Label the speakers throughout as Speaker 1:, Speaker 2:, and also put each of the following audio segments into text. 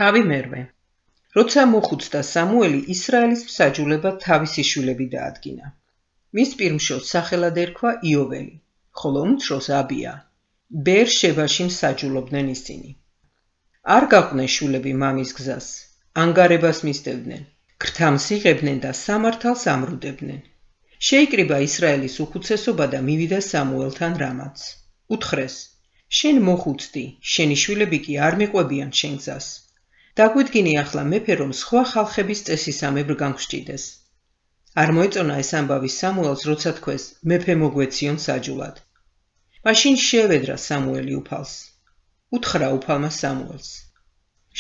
Speaker 1: თავი მერვე. როცა მოხუცდა სამუელი ისრაელის მსაჯულებად თავისი შვილები დაადგინა. მის პირმშოს სახელად ერქვა იოველი, ხოლო უმცროს აბია. ბეერ-შებაში მსაჯულობდნენ ისინი. არ გაყვნენ შვილები მამის გზას, ანგარებას მისდევდნენ, ქრთამს იღებდნენ და სამართალს ამრუდებდნენ. შეიკრიბა ისრაელის უხუცესობა და მივიდა სამუელთან რამაც. უთხრეს: შენ მოხუცდი, შენი შვილები კი არ მიყვებიან შენ გზას. დაგვიდგინე ახლა მეფე, რომ სხვა ხალხების წესისამებრ განგვსჭიდეს. არ მოეწონა ეს ამბავი სამუელს, როცა თქვეს: მეფე მოგვეციონ საჯულად. მაშინ შეევედრა სამუელი უფალს. უთხრა უფალმა სამუელს: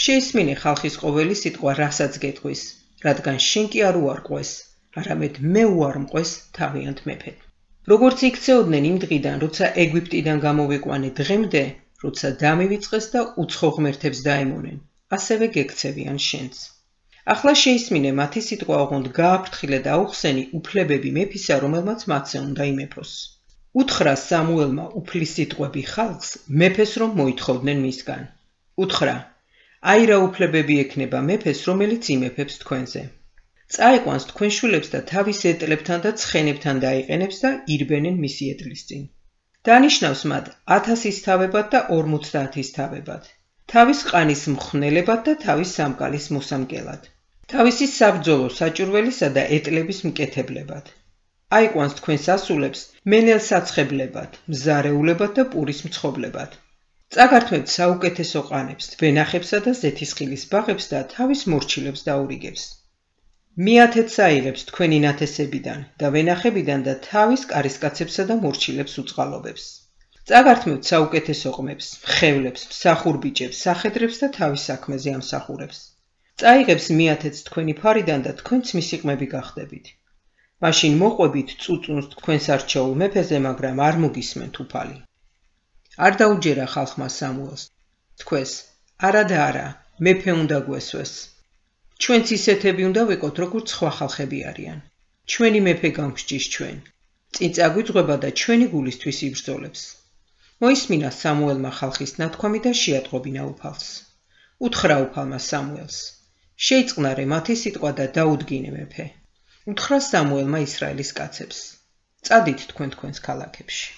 Speaker 1: შეისმინე ხალხის ყოველი სიტყვა, რასაც გეტყვის, რადგან შენ კი არ უარყვეს, არამედ მე უარმყვეს თავიანთ მეფედ. როგორც იქცეოდნენ იმ დღიდან, როცა ეგვიპტიდან გამოვიყვანე დღემდე, როცა დამივიწყეს და უცხო ღმერთებს დაემონენ, ასევე გექცევიან შენც. ახლა შეისმინე მათი სიტყვა, ოღონდ გააფრთხილე და აუხსენი უფლებები მეფისა, რომელმაც მათზე უნდა იმეფოს. უთხრა სამუელმა უფლის სიტყვები ხალხს, მეფეს რომ მოითხოვდნენ მისგან. უთხრა: აი რა უფლებები ექნება მეფეს, რომელიც იმეფებს თქვენზე. წაიყვანს თქვენ შვილებს და თავის ეტლებთან და ცხენებთან დაიყენებს და ირბენენ მისი ეტლის წინ. დანიშნავს მათ 1000-ის თავებად და 50-ის თავებად. თავის ყანის მხვნელებად და თავის სამკალის მოსამკელად. თავისი საბრძოლო საჭურველისა და ეტლების მკეთებლებად. აიყვანს თქვენს ასულებს მენელ საცხებლებად, მზარეულებად და პურის მცხობლებად. წაგართმევთ საუკეთესო ყანებს, ვენახებსა და ზეთისხილის ბაღებს და თავის მორჩილებს დაურიგებს. მიათეთ საიღებს თქვენი ნათესებიდან და ვენახებიდან და თავის კარისკაცებსა და მორჩილებს უწყალობებს. წაგართმევთ საუკეთესო ყმებს, მხევლებს, მსახურბიჭებს, სახედრებს და თავის საქმეზე ამსახურებს. წაიღებს მიათეთს თქვენი ფარიდან და თქვენც მისი ყმები გახდებით. მაშინ მოყვებით წუწუნს თქვენს არჩეულ მეფეზე, მაგრამ არ მოგისმენთ უფალი. არ დაუჯერა ხალხმა სამუელს. თქვეს: არა და არა, მეფე უნდა გვესვეს. ჩვენც ისეთები უნდა ვიყოთ, როგორც სხვა ხალხები არიან. ჩვენი მეფე გამსჭის ჩვენ. წინ წაგვიძღვება და ჩვენი გულისთვის იბრძოლებს. მოისმინა სამუელმა ხალხის ნათქვამი და შეატყობინა უფალს. უთხრა უფალმა სამუელს: შეიწყნარე მათი სიტყვა და დაუდგინე მეფე. უთხრა სამუელმა ისრაელის კაცებს: წადით თქვენ თქვენს ქალაქებში.